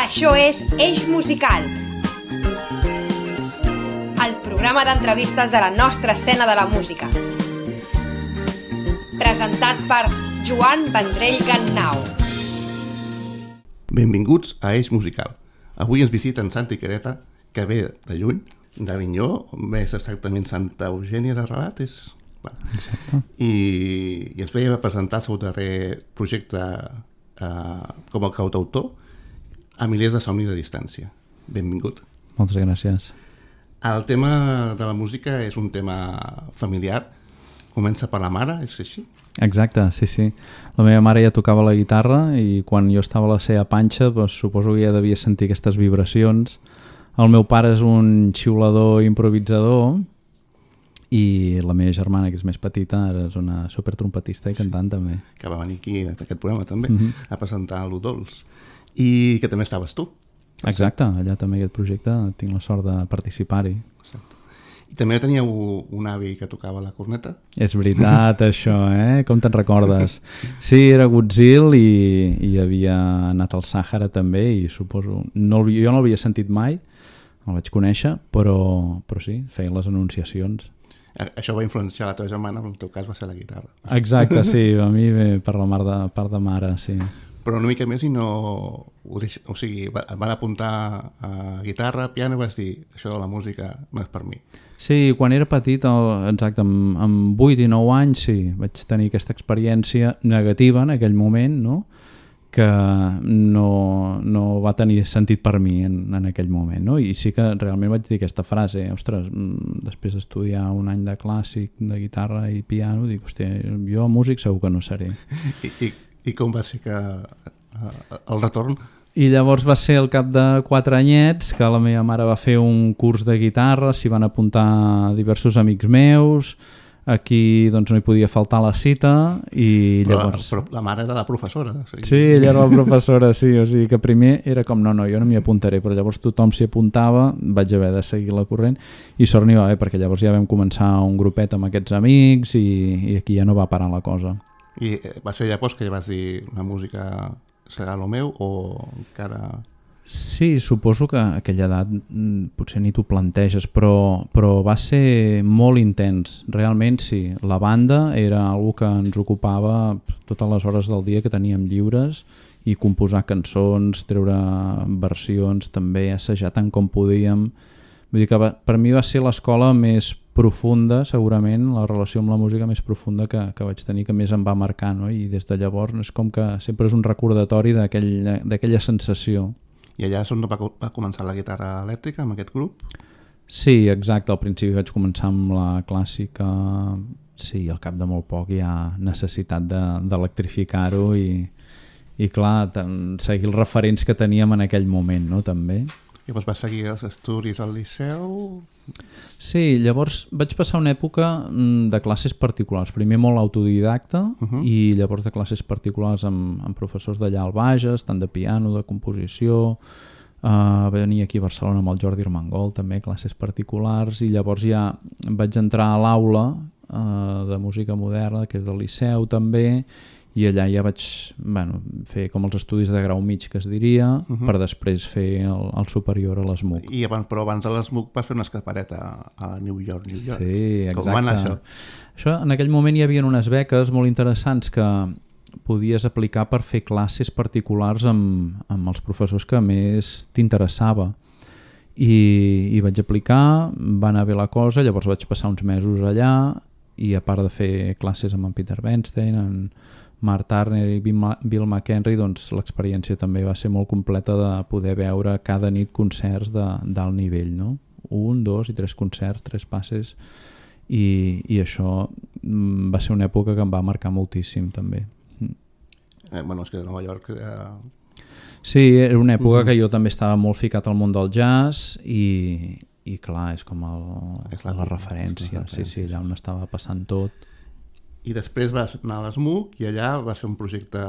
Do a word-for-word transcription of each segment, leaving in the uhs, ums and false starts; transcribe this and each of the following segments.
Això és Eix Musical, el programa d'entrevistes de la nostra escena de la música. Presentat per Joan Vendrell Gannau. Benvinguts a Eix Musical. Avui ens visita en Santi Quereta, que ve de lluny, d'Avinyó, més exactament Santa Eugènia de Rabat, és... Bueno. I, i ens veia presentar el seu darrer projecte eh, com a cantautor a milers de somnis de distància. Benvingut. Moltes gràcies. El tema de la música és un tema familiar. Comença per la mare, és així? Exacte, sí, sí. La meva mare ja tocava la guitarra i quan jo estava a la seva panxa doncs, suposo que ja devia sentir aquestes vibracions. El meu pare és un xiulador improvisador i la meva germana, que és més petita, ara és una supertrompetista i cantant, sí, també. Que va venir aquí a aquest programa també, mm-hmm. a presentar l'U Dols. I que també estaves tu. Exacte, allà també aquest projecte tinc la sort de participar-hi. Exacte. I també teníeu un avi que tocava la corneta? És veritat, això, eh? Com te'n recordes? Sí, era Gutzil i, i havia anat al Sàhara també i suposo... No, jo no l'havia sentit mai, el vaig conèixer, però, però sí, feien les anunciacions. Això va influenciar la teva germana, però en el teu cas va ser la guitarra. Exacte, sí, a mi ve per la part de, part de mare, sí. Però una mica més i no... O sigui, et van apuntar a guitarra, piano, i vas dir, això de la música no és per mi. Sí, quan era petit, el, exacte, amb, amb vuit i nou anys, sí, vaig tenir aquesta experiència negativa en aquell moment, no?, que no, no va tenir sentit per mi en, en aquell moment, no? I sí que realment vaig dir aquesta frase, ostres, després d'estudiar un any de clàssic, de guitarra i piano, dic, hòstia, jo músic segur que no seré. I, i, i com va ser que uh, el retorn? I llavors va ser al cap de quatre anyets que la meva mare va fer un curs de guitarra, s'hi van apuntar diversos amics meus, aquí doncs no hi podia faltar la cita i llavors... Però, però la mare era la professora. O sigui... Sí, ella era la professora, sí, o sigui que primer era com no, no, jo no m'hi apuntaré, però llavors tothom s'hi apuntava, vaig haver de seguir la corrent i sort n'hi va haver perquè llavors ja vam començar un grupet amb aquests amics i, i aquí ja no va parar la cosa. I va ser llavors que ja vas dir la música serà el meu o encara... Sí, suposo que a aquella edat potser ni t'ho planteges, però, però va ser molt intens. Realment sí, la banda era una que ens ocupava totes les hores del dia que teníem lliures i composar cançons, treure versions, també assajar tant com podíem. Vull dir que va, per mi va ser l'escola més profunda, segurament, la relació amb la música més profunda que, que vaig tenir, que més em va marcar, no? I des de llavors és com que sempre és un recordatori d'aquell, d'aquella sensació. I allà és on va, va començar la guitarra elèctrica, amb aquest grup? Sí, exacte. Al principi vaig començar amb la clàssica. Sí, al cap de molt poc hi ha necessitat d'electrificar-ho de, i, i clar, seguir els referents que teníem en aquell moment, no?, també. I llavors vas seguir els estudis al Liceu? Sí, llavors vaig passar una època de classes particulars. Primer molt autodidacta uh-huh. i llavors de classes particulars amb, amb professors d'allà al Bages, tant de piano, de composició. Uh, venir aquí a Barcelona amb el Jordi Armengol, també classes particulars, i llavors ja vaig entrar a l'aula uh, de música moderna, que és del Liceu també, i allà ja vaig bueno, fer com els estudis de grau mig, que es diria, uh-huh. per després fer el, el superior a l'ESMUC. I abans, però abans de l'ESMUC vas fer una escapareta a New York, New York. Sí, exacte. Com va anar això? Això? En aquell moment hi havia unes beques molt interessants que podies aplicar per fer classes particulars amb, amb els professors que més t'interessava. I, I vaig aplicar, va anar bé la cosa, llavors vaig passar uns mesos allà i a part de fer classes amb en Peter Bernstein, en Mark Turner i Bill McHenry, doncs l'experiència també va ser molt completa de poder veure cada nit concerts d'alt nivell, no? Un, dos i tres concerts, tres passes, i, i això va ser una època que em va marcar moltíssim també. Eh, bueno, és que de Nova York... Eh... Sí, era una època que jo també estava molt ficat al món del jazz i, i clar, és com el, és la, la referència, sí, sí, allà on estava passant tot. I després vas anar a l'ESMUC i allà va ser un projecte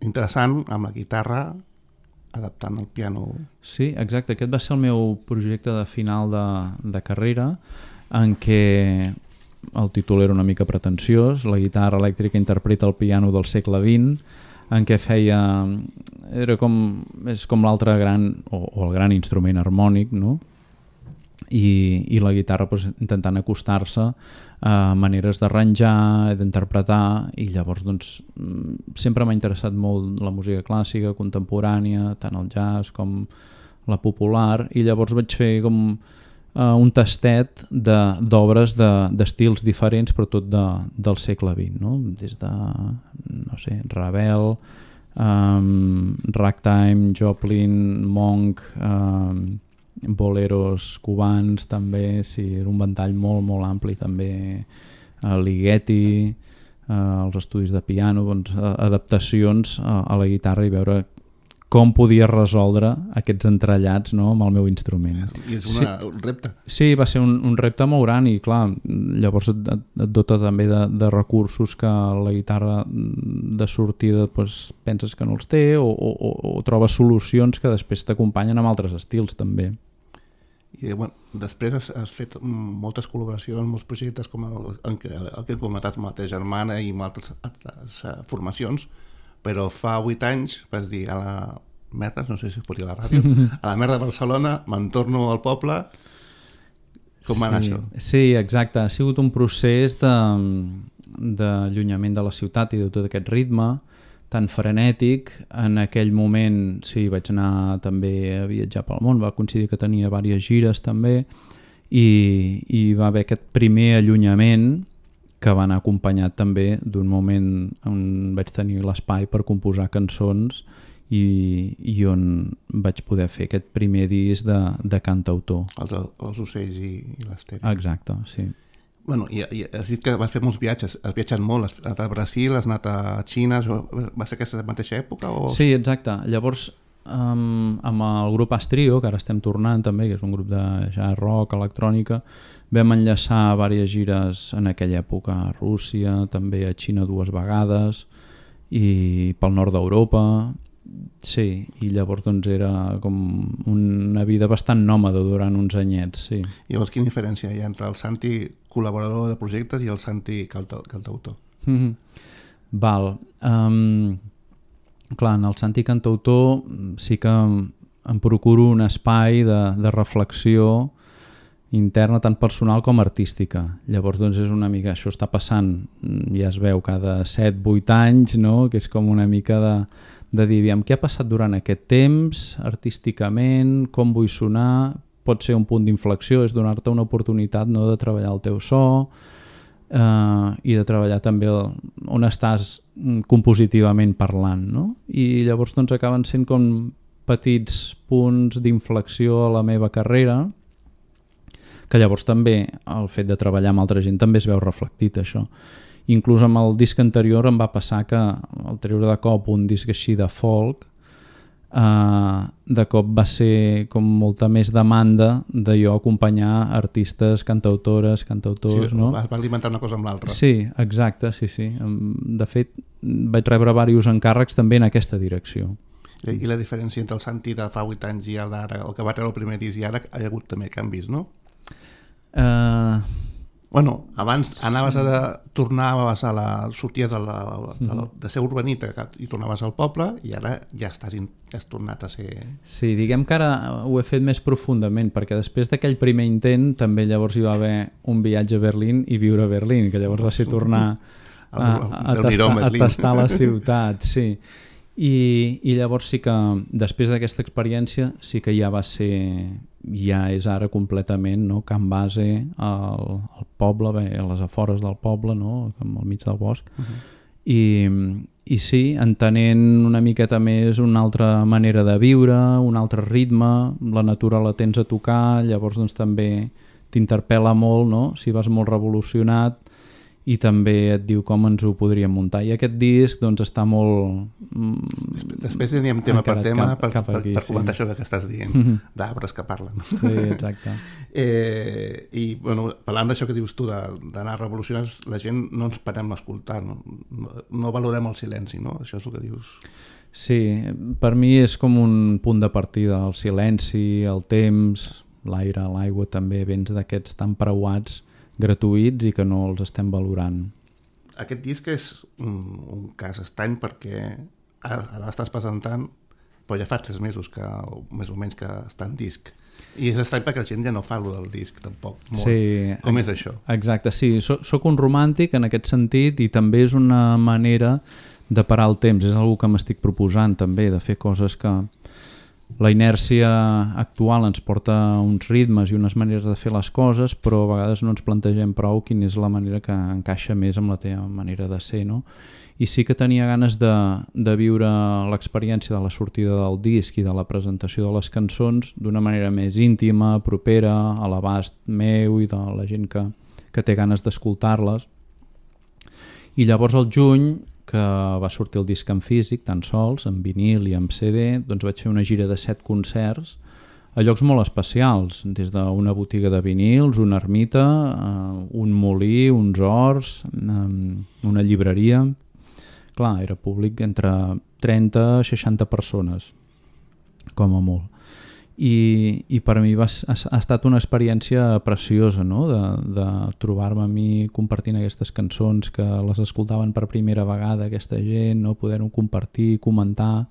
interessant amb la guitarra adaptant el piano. Sí, exacte. Aquest va ser el meu projecte de final de, de carrera en què el títol era una mica pretensiós. La guitarra elèctrica interpreta el piano del segle vint. en què feia... Era com, és com l'altre gran, o, o el gran instrument harmònic, no? I, i la guitarra doncs, intentant acostar-se a maneres d'arranjar, d'interpretar, i llavors doncs, sempre m'ha interessat molt la música clàssica, contemporània, tant el jazz com la popular, i llavors vaig fer com uh, un tastet d'obres de, d'estils diferents, però tot de, del segle vint, no? Des de, no sé, Ravel, um, Ragtime, Joplin, Monk, um, boleros cubans també, sí, era un ventall molt molt ampli també, uh, Ligeti, uh, els estudis de piano, doncs, uh, adaptacions uh, a la guitarra i veure com podia resoldre aquests entrellats, no, amb el meu instrument. I és una, sí, un repte. Sí, va ser un, un repte molt gran i clar, llavors et, et dota també de, de recursos que la guitarra de sortida doncs, penses que no els té o, o, o trobes solucions que després t'acompanyen amb altres estils també. I bueno, després has, has fet moltes col·laboracions, molts projectes com el, el, que, el que he comentat amb la teva germana i amb altres, altres uh, formacions, però fa vuit anys vas dir a la merda, no sé si es pot dir a la ràdio, a la merda de Barcelona, me'n torno al poble. Com va anar sí, això? Sí, exacte. Ha sigut un procés d'allunyament de, de la ciutat i de tot aquest ritme tan frenètic. En aquell moment sí, vaig anar també a viatjar pel món, va coincidir que tenia diverses gires també i, i va haver aquest primer allunyament que va anar acompanyat també d'un moment on vaig tenir l'espai per composar cançons i, i on vaig poder fer aquest primer disc de, de cantautor. Els, els ocells i, i l'estèria. Exacte, sí. Bueno, i, i has dit que vas fer molts viatges, has viatjat molt, has anat a Brasil, has anat a Xina, va ser aquesta mateixa època? O... Sí, exacte. Llavors, um, amb el grup Astrio, que ara estem tornant també, que és un grup de jazz rock, electrònica, vam enllaçar diverses gires en aquella època a Rússia, també a Xina dues vegades i pel nord d'Europa. Sí, i llavors doncs era com una vida bastant nòmada durant uns anyets, sí. I llavors quina diferència hi ha entre el Santi col·laborador de projectes i el Santi cantautor? Mm-hmm. Val. Um, clar, en el Santi cantautor sí que em procuro un espai de, de reflexió interna tant personal com artística. Llavors doncs és una mica, això està passant, ja es veu cada set vuit anys, no? Que és com una mica de, de dir, aviam, què ha passat durant aquest temps artísticament, com vull sonar, pot ser un punt d'inflexió, és donar-te una oportunitat, no?, de treballar el teu so eh, i de treballar també el, on estàs compositivament parlant, no? I llavors doncs acaben sent com petits punts d'inflexió a la meva carrera, que llavors també el fet de treballar amb altra gent també es veu reflectit això. Inclús amb el disc anterior em va passar que al treure de cop un disc així de folk, eh, de cop va ser com molta més demanda de jo acompanyar artistes, cantautores, cantautors, sí, no? Vas alimentar una cosa amb l'altra. Sí, exacte, sí, sí. De fet, vaig rebre diversos encàrrecs també en aquesta direcció. I, i la diferència entre el Santi de fa vuit anys i el d'ara, el que va treure el primer disc i ara, hi ha hagut també canvis, no? Uh, bueno, abans anaves a tornaves a la sortida de, la, de, la, de ser urbanita i tornaves al poble i ara ja estàs in, ja has tornat a ser... Sí, diguem que ara ho he fet més profundament perquè després d'aquell primer intent també llavors hi va haver un viatge a Berlín i viure a Berlín, que llavors va ser tornar a, a, tastar, a tastar la ciutat, sí. I, i llavors sí que després d'aquesta experiència sí que ja va ser... ja és ara completament, no?, camp base al, al poble, bé, a les afores del poble, no?, al mig del bosc. Uh-huh. I, i sí, entenent una miqueta més una altra manera de viure, un altre ritme, la natura la tens a tocar, llavors doncs també t'interpel·la molt, no?, si vas molt revolucionat, i també et diu com ens ho podríem muntar. I aquest disc doncs està molt... Després, després teníem tema per tema cap, per, cap aquí, per, per comentar sí. això que estàs dient, mm-hmm. d'arbres que parlen. Sí, exacte. eh, I bueno, parlant d'això que dius tu, d'anar revolucionant, la gent no ens parem a escoltar, no, no, no valorem el silenci, no? Això és el que dius. Sí, per mi és com un punt de partida, el silenci, el temps, l'aire, l'aigua també, vens d'aquests tan preuats gratuïts i que no els estem valorant. Aquest disc és un, un cas estrany perquè ara, ara l'estàs presentant, però ja fa tres mesos que, o més o menys que està en disc. I és estrany perquè la gent ja no fa allò del disc, tampoc. Molt. Sí, com és això? Exacte, sí. Soc, soc un romàntic en aquest sentit i també és una manera de parar el temps. És una que m'estic proposant també, de fer coses que la inèrcia actual ens porta a uns ritmes i unes maneres de fer les coses, però a vegades no ens plantegem prou quina és la manera que encaixa més amb la teva manera de ser, no? I sí que tenia ganes de, de viure l'experiència de la sortida del disc i de la presentació de les cançons d'una manera més íntima, propera, a l'abast meu i de la gent que, que té ganes d'escoltar-les. I llavors al juny, que va sortir el disc en físic, tan sols, en vinil i en C D, doncs vaig fer una gira de set concerts a llocs molt especials, des d'una botiga de vinils, una ermita, un molí, uns horts, una llibreria. Clar, era públic entre trenta a seixanta persones, com a molt. I, i per mi va, ha, ha estat una experiència preciosa, no? de, de trobar-me a mi compartint aquestes cançons que les escoltaven per primera vegada aquesta gent, no? Poder-ho compartir, comentar.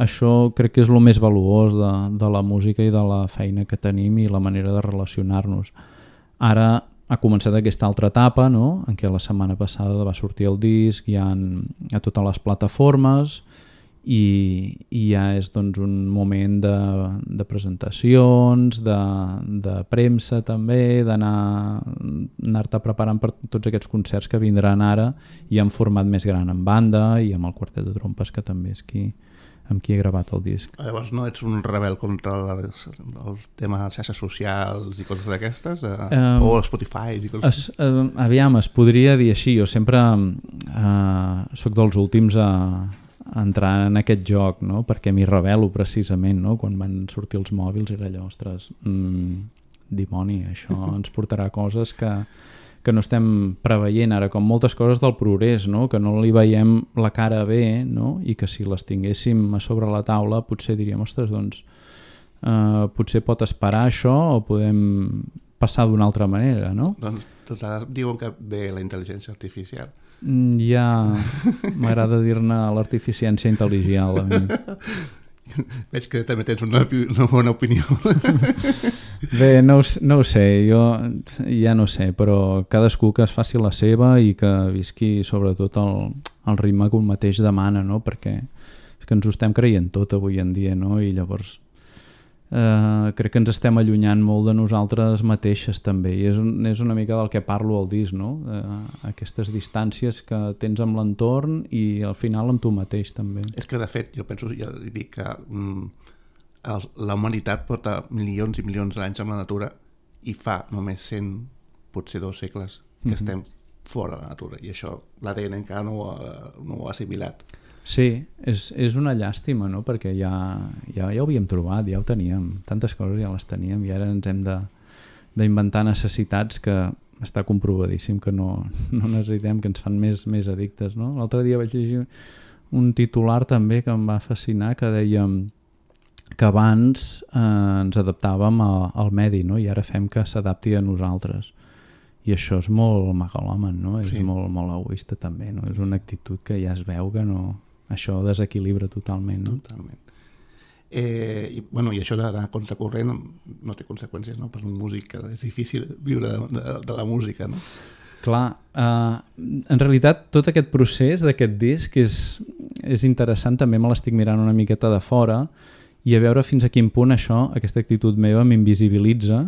Això crec que és el més valuós de, de la música i de la feina que tenim i la manera de relacionar-nos. Ara ha començat aquesta altra etapa, no? En què la setmana passada va sortir el disc, hi ha a totes les plataformes i, i ja és doncs, un moment de, de presentacions, de, de premsa també, d'anar anar-te preparant per tots aquests concerts que vindran ara i en format més gran en banda i amb el quartet de trompes que també és qui, amb qui he gravat el disc. Llavors no ets un rebel contra el, el tema de xarxes socials i coses d'aquestes? Eh? Um, o Spotify i coses es, uh, Aviam, es podria dir així. Jo sempre uh, soc dels últims a, a entrar en aquest joc, no? Perquè m'hi rebel·lo precisament, no? Quan van sortir els mòbils era allò, ostres, mm, dimoni, això ens portarà coses que que no estem preveient ara, com moltes coses del progrés, no? Que no li veiem la cara bé, no? I que si les tinguéssim a sobre la taula potser diríem, ostres, doncs eh, potser pot esperar això o podem passar d'una altra manera, no? Doncs, doncs ara diuen que ve la intel·ligència artificial. Mm, ja m'agrada dir-ne l'artificiència intel·ligial a mi. Veig que també tens una, una bona opinió. Bé, no, no ho sé, jo ja no sé, però cadascú que es faci la seva i que visqui sobretot el, el ritme que un mateix demana, no? Perquè és que ens ho estem creient tot avui en dia, no? I llavors eh, crec que ens estem allunyant molt de nosaltres mateixes també, i és, un, és una mica del que parlo al disc, no? Eh, aquestes distàncies que tens amb l'entorn i al final amb tu mateix també. És que de fet jo penso, ja dic que mm, el, la humanitat porta milions i milions d'anys amb la natura i fa només cent, potser dos segles que mm-hmm. estem fora de la natura i això l'A D N encara no ho ha, no ho ha assimilat. Sí, és, és una llàstima, no? Perquè ja, ja, ja ho havíem trobat, ja ho teníem, tantes coses ja les teníem i ara ens hem de, d'inventar necessitats que està comprovadíssim que no, no necessitem, que ens fan més, més addictes, no? L'altre dia vaig llegir un titular també que em va fascinar que deia que abans eh, ens adaptàvem a, al medi, no? I ara fem que s'adapti a nosaltres. I això és molt megalòman, no? Sí. És molt, molt egoista també, no? És una actitud que ja es veu que no... Això desequilibra totalment, no? Totalment. Eh, i, bueno, i això d'anar contracorrent no té conseqüències, no? Per un músic és difícil viure de, de, de la música, no? Clar, eh, en realitat tot aquest procés d'aquest disc és, és interessant, també me l'estic mirant una miqueta de fora i a veure fins a quin punt això, aquesta actitud meva m'invisibilitza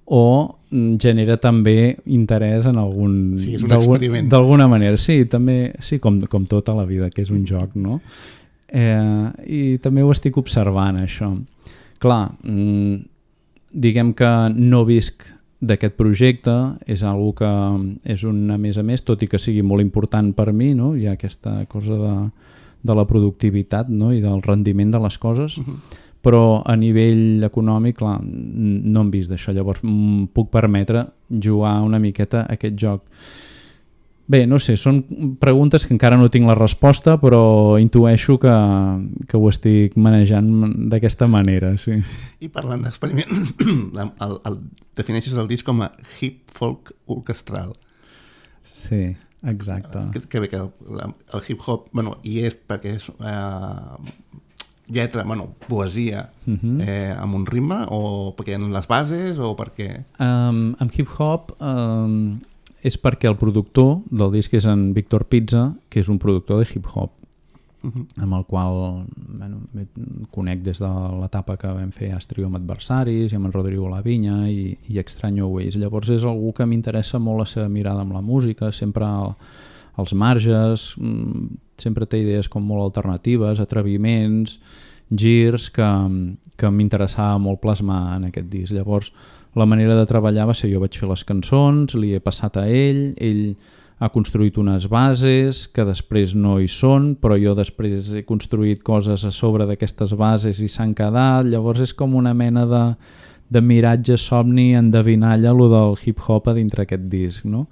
o genera també interès en algun... Sí, és un experiment. D'alguna manera, sí, també, sí, com, com tota la vida, que és un joc, no? Eh, I també ho estic observant, això. Clar, mmm, diguem que no visc d'aquest projecte, és algo que és un a més a més, tot i que sigui molt important per mi, no? Hi ha aquesta cosa de, de la productivitat, no? I del rendiment de les coses, uh-huh. Però a nivell econòmic, clar, no hem vist d'això, llavors m- puc permetre jugar una miqueta a aquest joc. Bé, no sé, són preguntes que encara no tinc la resposta, però intueixo que, que ho estic manejant d'aquesta manera, sí. I parlant d'experiment, el, el, defineixes el disc com a hip folk orquestral. Sí. Exacte. Que, que bé que el, el hip-hop, bueno, hi és perquè és eh, lletra, bueno, poesia uh-huh. eh, amb un ritme, o perquè en les bases, o perquè... Um, amb hip-hop um, és perquè el productor del disc és en Víctor Pizza, que és un productor de hip-hop, uh-huh. amb el qual bueno, conec des de l'etapa que vam fer Astrio amb Adversaris i amb en Rodrigo Lavinya i, i Extraño Ways. Llavors és algú que m'interessa molt la seva mirada amb la música, sempre al, als marges, sempre té idees com molt alternatives, atreviments, girs que, que m'interessava molt plasmar en aquest disc. Llavors la manera de treballar va ser jo vaig fer les cançons, li he passat a ell, ell ha construït unes bases que després no hi són, però jo després he construït coses a sobre d'aquestes bases i s'han quedat. Llavors és com una mena de, de miratge, somni, endevinalla, lo del hip-hop a dintre aquest disc, no?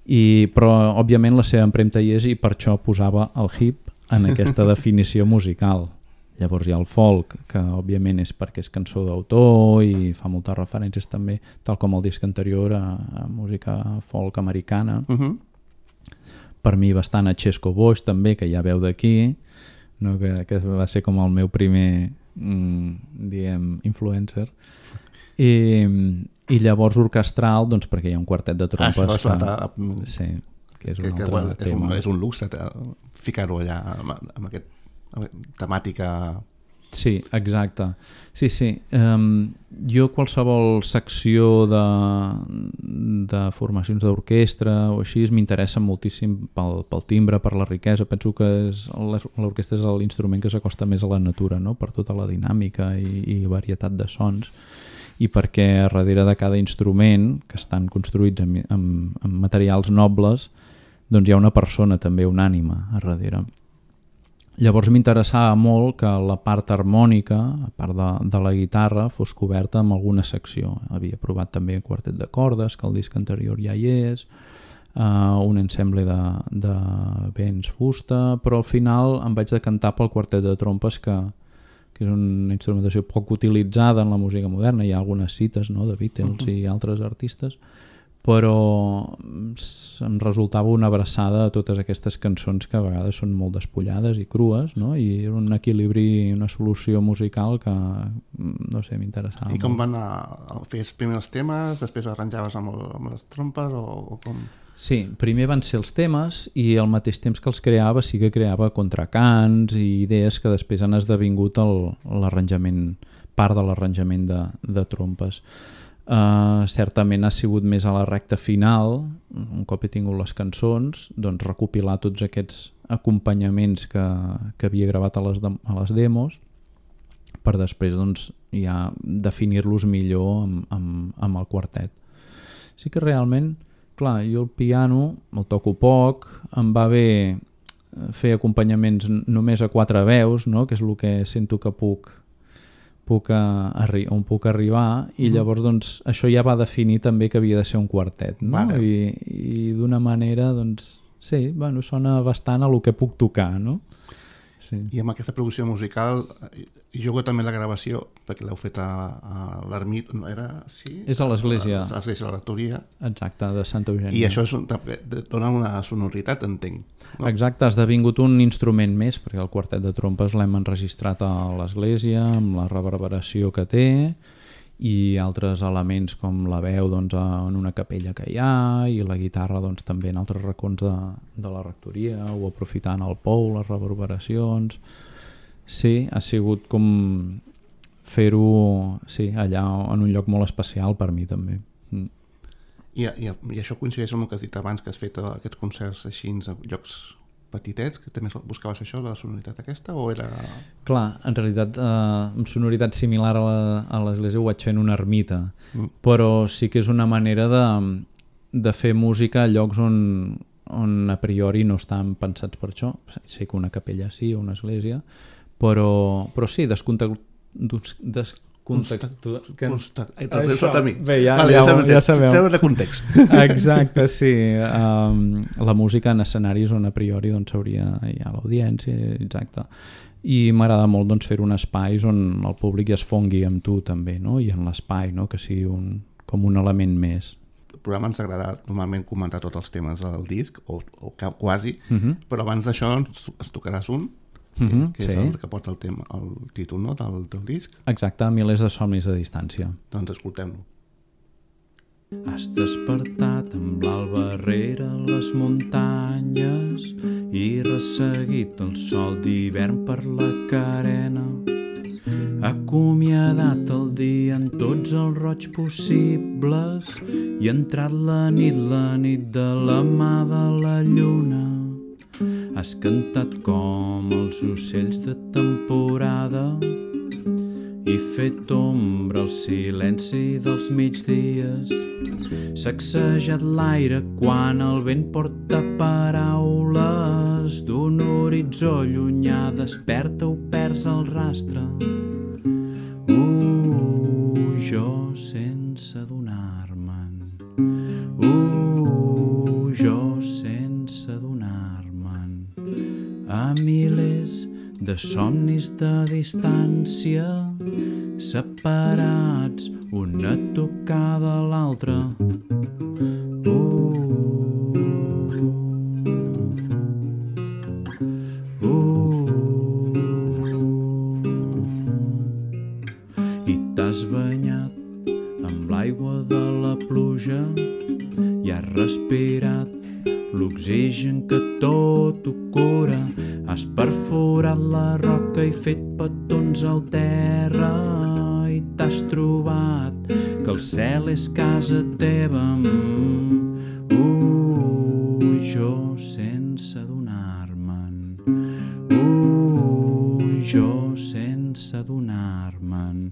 I, però òbviament la seva empremta hi és i per això posava el hip en aquesta definició musical. Llavors hi ha el folk, que òbviament és perquè és cançó d'autor i fa moltes referències també, tal com el disc anterior, a, a música folk americana. Uh-huh. Per mi bastant a Chesco Boix també, que ja veu d'aquí, no? que, que va ser com el meu primer mm, diguem, influencer. I, i llavors orquestral, doncs perquè hi ha un quartet de trompes ah, que, la... sí, que és un que, altre que, bueno, és tema. Un, és un luxe ficar-ho allà amb, amb aquest temàtica. Sí, exacte. Sí, sí. Um, jo qualsevol secció de, de formacions d'orquestra o així m'interessa moltíssim pel, pel timbre, per la riquesa. Penso que és, l'orquestra és l'instrument que s'acosta més a la natura, no? Per tota la dinàmica i, i varietat de sons, i perquè darrere de cada instrument, que estan construïts amb, amb, amb materials nobles, doncs hi ha una persona també, una ànima a darrere. Llavors m'interessava molt que la part harmònica, a part de, de la guitarra, fos coberta amb alguna secció. Havia provat també un quartet de cordes, que el disc anterior ja hi és, uh, un ensemble de, de vents fusta, però al final em vaig decantar pel quartet de trompes, que, que és una instrumentació poc utilitzada en la música moderna. Hi ha algunes cites, no?, de Beatles uh-huh. i altres artistes, però em resultava una abraçada a totes aquestes cançons que a vegades són molt despullades i crues, no? I era un equilibri, una solució musical que, no sé, m'interessava. I com van a, a fer primer els temes, després arranjaves amb, el, amb les trompes o, o com? Sí, primer van ser els temes i al mateix temps que els creava sí que creava contracants i idees que després han esdevingut el, l'arranjament, part de l'arranjament de, de trompes. Uh, certament ha sigut més a la recta final, un cop he tingut les cançons, doncs recopilar tots aquests acompanyaments que, que havia gravat a les, de, a les demos, per després doncs, ja definir-los millor amb, amb, amb el quartet. Sí que realment, clar, jo el piano el toco poc, em va bé fer acompanyaments només a quatre veus, no? Que és el que sento que puc puc a, arri- on puc arribar, i llavors doncs, això ja va definir també que havia de ser un quartet, no? Vale. I, i d'una manera doncs, sí, bueno, sona bastant a el que puc tocar, no? Sí. I amb aquesta producció musical jugo també la gravació, perquè l'heu fet a, a l'ermita, no era? Sí? És a l'església. A l'església de la rectoria. Exacte, de Santa Eugènia. I això és, dona una sonoritat, entenc. No? Exacte, ha esdevingut un instrument més, perquè el quartet de trompes l'hem enregistrat a l'església, amb la reverberació que té, i altres elements com la veu doncs, en una capella que hi ha, i la guitarra doncs, també en altres racons de, de la rectoria, o aprofitant el pou, les reverberacions. Sí, ha sigut com fer-ho sí, allà en un lloc molt especial per mi també. Mm. I, i, I això coincideix amb el que has dit abans, que has fet aquests concerts així en llocs petitets, que també buscaves això, la sonoritat aquesta, o era... Clar, en realitat, eh, amb sonoritat similar a, la, a l'església ho vaig fer en una ermita, mm. però sí que és una manera de, de fer música a llocs on, on a priori no estan pensats per això. Sé que una capella sí, o una església, però, però sí, descontextualitzar des, contextu... Constat. Ai, també això... a mi. Bé, ja, vale, ja, ja, ja sabeu. Treure de context. Exacte, sí. Um, la música en escenaris on a priori doncs, hauria hi ha l'audiència, exacte. I m'agrada molt doncs, fer un espai on el públic es fongui amb tu també, no? I en l'espai, no? Que sigui un, com un element més. programa ens agrada normalment comentar tots els temes del disc, o, o quasi, uh-huh. però abans d'això ens, ens tocaràs un, uh-huh, que és sí. el que porta el, tema, el títol, no?, del, del disc. Exacte, Milers de somnis de distància. Doncs escoltem-lo. Has despertat amb l'alba rere les muntanyes i resseguit el sol d'hivern per la carena. Acomiadat el dia en tots els roig possibles i entrat la nit, la nit de la mà de la lluna. Has cantat com els ocells de temporada i fet ombra al silenci dels migdies. Sacsejat l'aire quan el vent porta paraules d'un horitzó llunyà, desperta o perds el rastre. Uh, jo sense adonar-me'n. Uh, jo sense adonar-me'n. A milers de somnis de distància, separats una tocada a l'altra. Uh, uh, I t'has banyat amb l'aigua de la pluja i has respirat l'oxigen que tot ho cura. Has perforat la roca i fet petons al terra i t'has trobat que el cel és casa teva. Uh, jo sense adonar-me'n. Uh, jo sense adonar-me'n.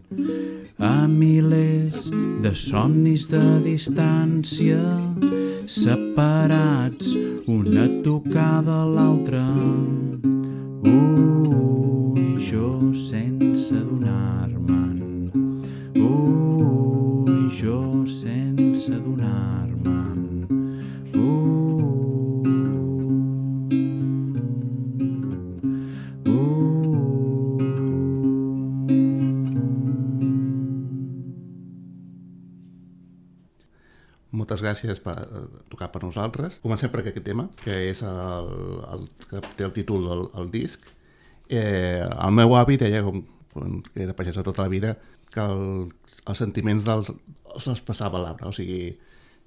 A milers de somnis de distància, separats una tocada a l'altra. Uh, jo sense adonar-me'n. Uh, jo sense adonar-me'n. Uh, uh. Moltes gràcies per tocar per nosaltres. Comencem per aquest tema, que és el, el que té el títol del el disc. Eh, el meu avi deia, com que era pagès tota la vida, que el, els sentiments dels, els passava a l'arbre, o sigui,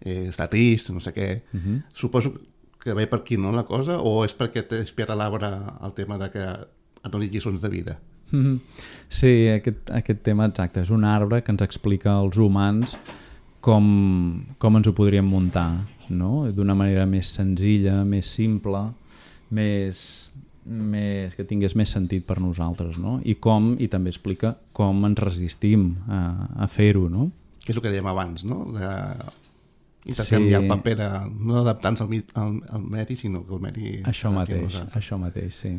eh, està trist, no sé què. Uh-huh. Suposo que ve per aquí, no, la cosa, o és perquè t'he espiat a l'arbre el tema de que et doni lliçons de vida? Mm-hmm. Sí, aquest, aquest tema exacte, és un arbre que ens explica als humans com, com ens ho podríem muntar, no? D'una manera més senzilla, més simple, més, més, que tingués més sentit per nosaltres, no? I com, i també explica com ens resistim a, a fer-ho, no? Que és el que dèiem abans, no? De intercanviar sí. El paper de no adaptar-nos al, al, al medi, sinó que el medi... Això mateix, això mateix, sí.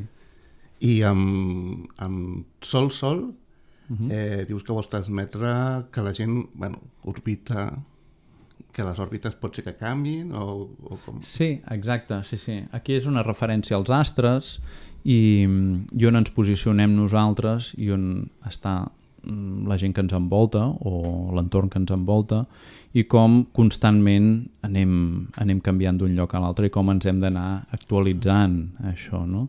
I amb, amb Sol Sol uh-huh. eh, dius que vols transmetre que la gent, bueno, orbita, que les òrbites pot ser que canviin o, o com? Sí, exacte, sí, sí. Aquí és una referència als astres i, i on ens posicionem nosaltres i on està la gent que ens envolta o l'entorn que ens envolta i com constantment anem, anem canviant d'un lloc a l'altre i com ens hem d'anar actualitzant això, no?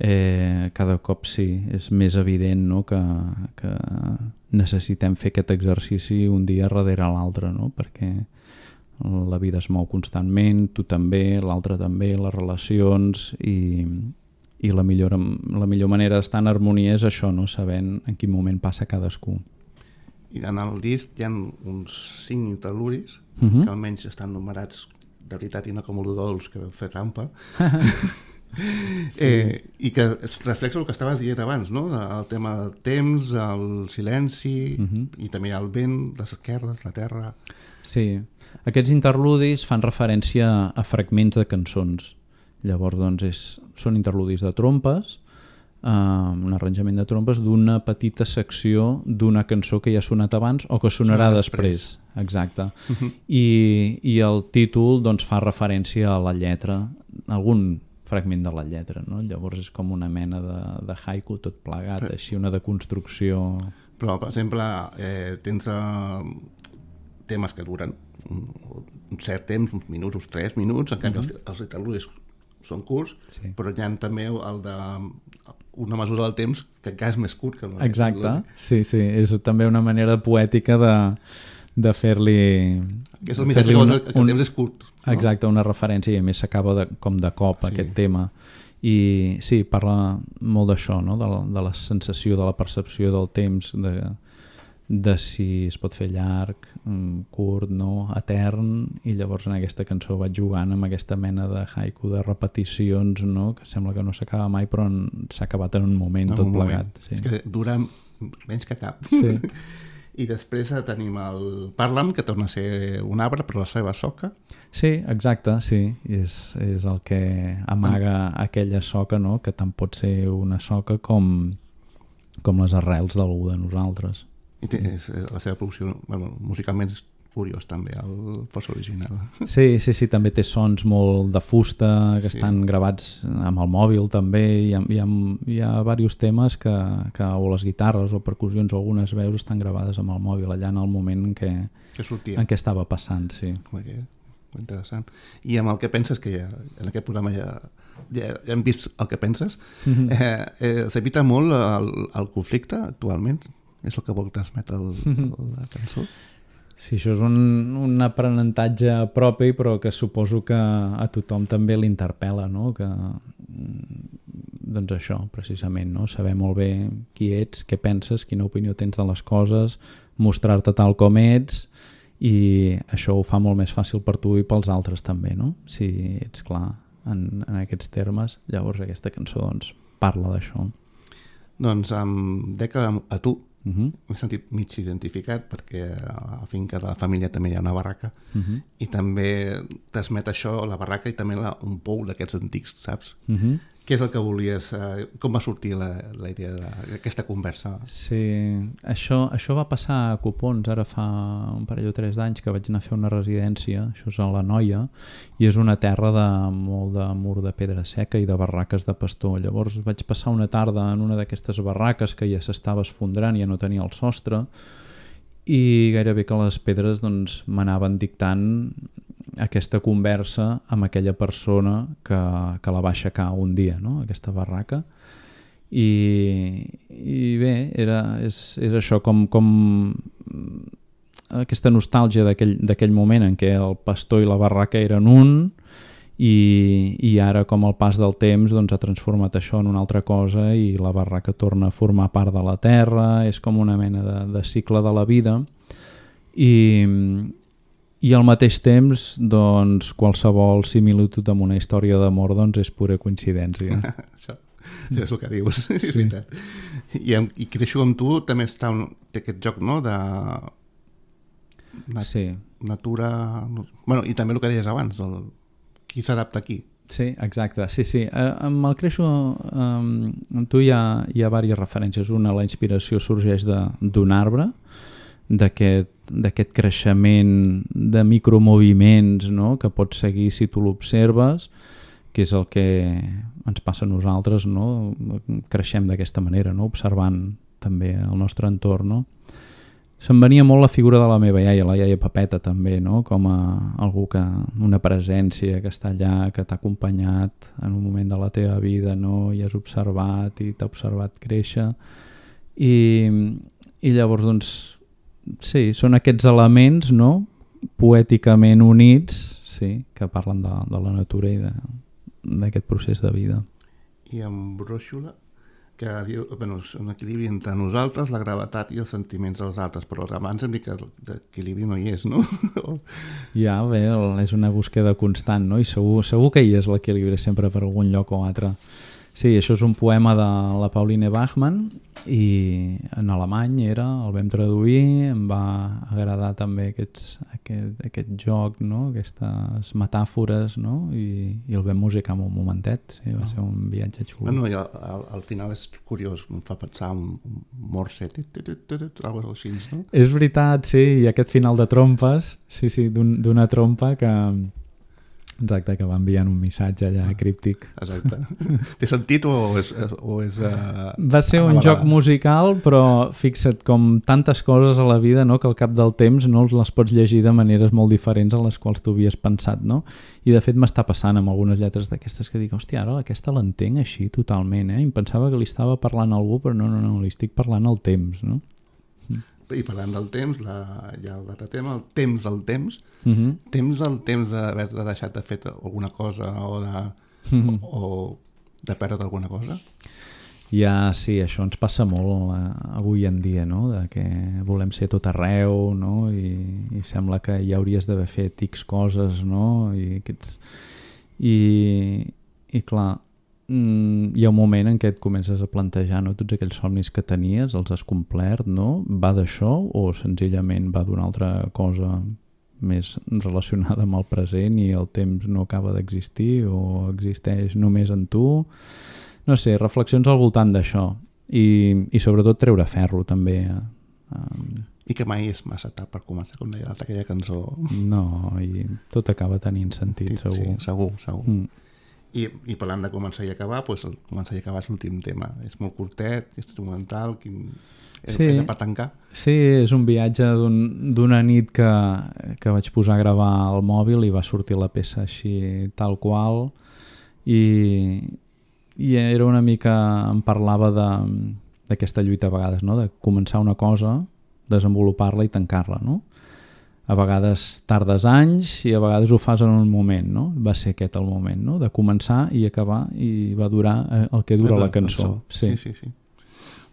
Eh, cada cop sí, és més evident, no? que, que necessitem fer aquest exercici un dia darrere l'altre, no? Perquè la vida es mou constantment, tu també, l'altre també, les relacions i, i la, millor, la millor manera d'estar en harmonia és això, no? Sabent en quin moment passa cadascú. I en el disc hi ha uns cinc interluris uh-huh. que almenys estan numerats de veritat i no com el dolç que vau fer trampa. Sí. Eh, i que reflexa el que estaves dient abans, no? El tema del temps, el silenci uh-huh. i també el vent, les esquerdes, la terra. Sí, aquests interludis fan referència a fragments de cançons. Llavors, doncs, és, són interludis de trompes, eh, un arranjament de trompes d'una petita secció d'una cançó que ja ha sonat abans o que sonarà Sona després. després. Exacte. Uh-huh. I, I el títol doncs, fa referència a la lletra, algun fragment de la lletra, no? Llavors és com una mena de, de haiku tot plegat, però, així una deconstrucció... Però, per exemple, eh, tens eh, temes que duren un, un cert temps, uns minuts, uns tres minuts, en canvi mm-hmm. els, els interludis són curts, sí. però hi ha també el de una mesura del temps que encara és més curt que el Exacte, sí, sí, és també una manera poètica de, de fer-li... És el missatge que, que el temps és curt. No? Exacte, una referència i a més s'acaba de, com de cop sí. aquest tema. I sí, parla molt d'això, no? de, la, de la sensació, de la percepció del temps, de, de si es pot fer llarg, curt, no, etern, i llavors en aquesta cançó vaig jugant amb aquesta mena de haiku de repeticions, no? Que sembla que no s'acaba mai, però s'ha acabat en un moment en tot un plegat. Moment. Sí. És que dura menys que cap. Sí. I després tenim el Parla'm, que torna a ser un arbre, però la seva soca. Sí, exacte, sí. És, és el que amaga mm. aquella soca, no? Que tant pot ser una soca com, com les arrels d'algú de nosaltres. I té, és, la seva producció, bueno, musicalment és curiós també, el post original. Sí, sí, sí, també té sons molt de fusta, que sí. estan gravats amb el mòbil també, hi ha, hi ha, hi ha diversos temes que, que o les guitarres o percussions o algunes veus estan gravades amb el mòbil allà en el moment en què, que en què estava passant, sí. Que, interessant. I amb el que penses, que ja, en aquest programa ja, ja, ja hem vist el que penses, mm-hmm. eh, eh, s'evita molt el, el conflicte actualment? És el que vol transmetre el, el, la cançó? Sí, això és un, un aprenentatge propi, però que suposo que a tothom també l'interpel·la, no? Que, doncs això, precisament, no? Saber molt bé qui ets, què penses, quina opinió tens de les coses, mostrar-te tal com ets, i això ho fa molt més fàcil per tu i pels altres també, no? Si ets clar en, en aquests termes, llavors aquesta cançó doncs, parla d'això. Doncs em dec a, a tu. Uh-huh. M'he sentit mig identificat perquè a la finca de la família també hi ha una barraca uh-huh. i també transmet això, la barraca i també la, un pou d'aquests antics, saps? Uh-huh. Què és el que volies? Eh, com va sortir la, la idea d'aquesta conversa? Sí, això, això va passar a Copons ara fa un parell o tres d'anys que vaig anar a fer una residència, això és a la Noia, i és una terra de molt de mur de pedra seca i de barraques de pastor. Llavors vaig passar una tarda en una d'aquestes barraques que ja s'estava esfondrant, ja no tenia el sostre, i gairebé que les pedres doncs, m'anaven dictant aquesta conversa amb aquella persona que, que la va aixecar un dia, no? Aquesta barraca. I, i bé, era, és, és això com, com aquesta nostàlgia d'aquell moment en què el pastor i la barraca eren un i, i ara com el pas del temps doncs, ha transformat això en una altra cosa i la barraca torna a formar part de la terra, és com una mena de, de cicle de la vida i I al mateix temps, doncs, qualsevol similitud amb una història d'amor doncs, és pura coincidència. Això és el que dius, sí. És veritat. I, i Creixo amb tu també està un, té aquest joc, no?, de nat sí. natura... Bueno, i també el que deies abans, el... qui s'adapta aquí. Sí, exacte. Sí, sí. Eh, amb el Creixo, eh, amb tu hi ha, hi ha diverses referències. Una, la inspiració sorgeix d'un arbre, d'aquest d'aquest creixement de micromoviments, no?, que pots seguir si tu l'observes, que és el que ens passa a nosaltres, no? Creixem d'aquesta manera, no?, observant també el nostre entorn. No? Se'm venia molt la figura de la meva iaia, la iaia Pepeta també, no?, com a algú que, una presència que està allà, que t'ha acompanyat en un moment de la teva vida, no?, i has observat i t'ha observat créixer i, i llavors doncs sí, són aquests elements, no?, poèticament units, sí, que parlen de, de la natura i d'aquest procés de vida. I amb Bròixola, que diu, bueno, és un equilibri entre nosaltres, la gravetat i els sentiments dels altres, però abans hem dit que l'equilibri no hi és, no? Ja, bé, és una búsqueda constant, no? I segur, segur que hi és l'equilibri sempre per algun lloc o altre. Sí, això és un poema de la Pauline Bachmann i en alemany era, el vam traduir, em va agradar també aquests, aquest, aquest joc, no?, aquestes metàfores, no?, i, i el vam musicar en un momentet, sí, va ser un viatge xulo. Bueno, i al, al, al final és curiós, em fa pensar un, un morse, alguna cosa així, no? És veritat, sí, i aquest final de trompes, sí, sí, d'una un, trompa que... Exacte, que va enviant un missatge allà críptic. Exacte. Té sentit o és... O és uh, va ser un joc musical, però fixa't, com tantes coses a la vida, no?, que al cap del temps no les pots llegir de maneres molt diferents a les quals tu havies pensat, no? I de fet m'està passant amb algunes lletres d'aquestes que dic, hòstia, ara aquesta l'entenc així totalment, eh? I em pensava que li estava parlant a algú, però no, no, no, li estic parlant al temps, no? I parlant del temps, la, ja el altre tema, el temps del temps, uh-huh. temps del temps d'haver deixat de fer alguna cosa o de, uh-huh. o, o de perdre alguna cosa? Ja, sí, això ens passa molt eh, avui en dia, no?, de que volem ser tot arreu, no?, i, i sembla que ja hauries d'haver fet X coses, no?, i aquests... I, i clar, hi ha un moment en què et comences a plantejar, no?, tots aquells somnis que tenies, els has complert, no? Va d'això o senzillament va d'una altra cosa més relacionada amb el present i el temps no acaba d'existir o existeix només en tu? No sé, reflexions al voltant d'això i, i sobretot treure ferro també. Um... I que mai és massa tard per començar, com deia l'altra, aquella cançó. No, i tot acaba tenint sentit, segur. Sí, segur, segur. Mm. I, i parlant de començar i acabar, doncs el començar i acabar és l'últim tema. És molt curtet, és instrumental, quin... és sí, per tancar. Sí, és un viatge d'una un, nit que, que vaig posar a gravar al mòbil i va sortir la peça així tal qual i, i era una mica, em parlava d'aquesta lluita a vegades, no? De començar una cosa, desenvolupar-la i tancar-la, no? A vegades tardes anys i a vegades ho fas en un moment, no? Va ser aquest el moment, no? De començar i acabar, i va durar el que dura la cançó. Sí, sí, sí.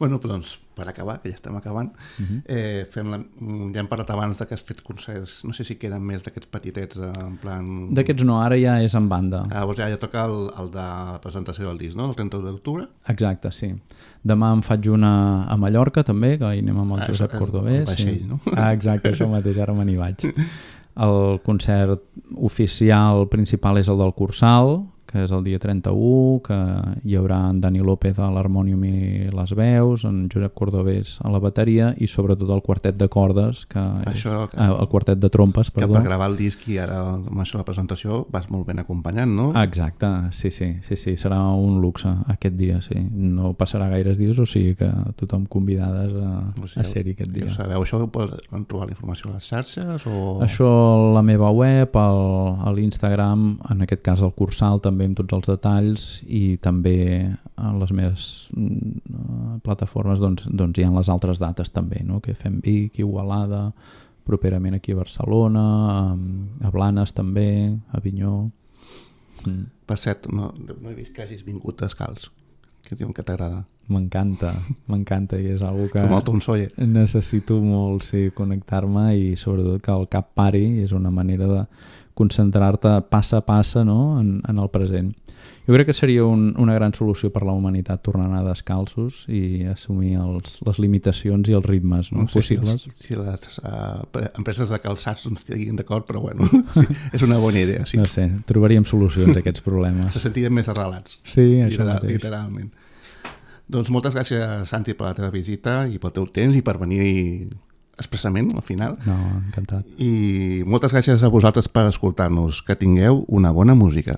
Bueno, però doncs, per acabar, que ja estem acabant, uh-huh. eh, fem la... ja hem parlat abans de que has fet concerts, no sé si queden més d'aquests petitets, en plan... D'aquests no, ara ja és en banda. Ah, doncs ja, ja toca el, el de la presentació del disc, no? El trenta d'octubre? Exacte, sí. Demà en faig una a Mallorca, també, que hi anem amb el ah, Josep Cordovés. El vaixell, sí. No? Ah, exacte, això mateix, ara me n'hi vaig. El concert oficial principal és el del Cursal, que és el dia trenta-u, que hi haurà en Dani López a l'harmònium i les veus, en Josep Cordovés a la bateria i sobretot el quartet de cordes, que això, que, eh, el quartet de trompes, perdó. Que per gravar el disc i ara amb això la presentació vas molt ben acompanyant, no? Exacte, sí, sí, sí, sí, serà un luxe aquest dia, sí. No passarà gaires dies, o sigui que tothom convidades a, o sigui, a ser-hi aquest dia. Ja sabeu, això ho poden trobar la informació a les xarxes? O... Això a la meva web, al, a l'Instagram, en aquest cas al Cursal també amb tots els detalls, i també a les meves uh, plataformes doncs, doncs hi ha les altres dates també, no? Que fem Vic, Igualada, properament aquí a Barcelona, a, a Blanes també, a Avinyó. Mm. Per cert, no, no he vist que hagis vingut descalç, que diuen que t'agrada. M'encanta, m'encanta, i és algo que com el Tom Sawyer. Necessito molt, sí, connectar-me, i sobretot que el cap pari, és una manera de concentrar-te passa a passa, no? en, en el present. Jo crec que seria un, una gran solució per la humanitat tornar a anar descalços i assumir els, les limitacions i els ritmes, no? No sé possibles. Si, si les uh, empreses de calçats no estiguin d'acord, però bueno, sí, és una bona idea. Sí. No sé, trobaríem solucions a aquests problemes. Se sentirem més arrelats. Sí, això literal, mateix. Literalment. Doncs moltes gràcies, Santi, per la teva visita i pel teu temps i per venir expressament al final. No, encantat. I moltes gràcies a vosaltres per escoltar-nos. Que tingueu una bona música.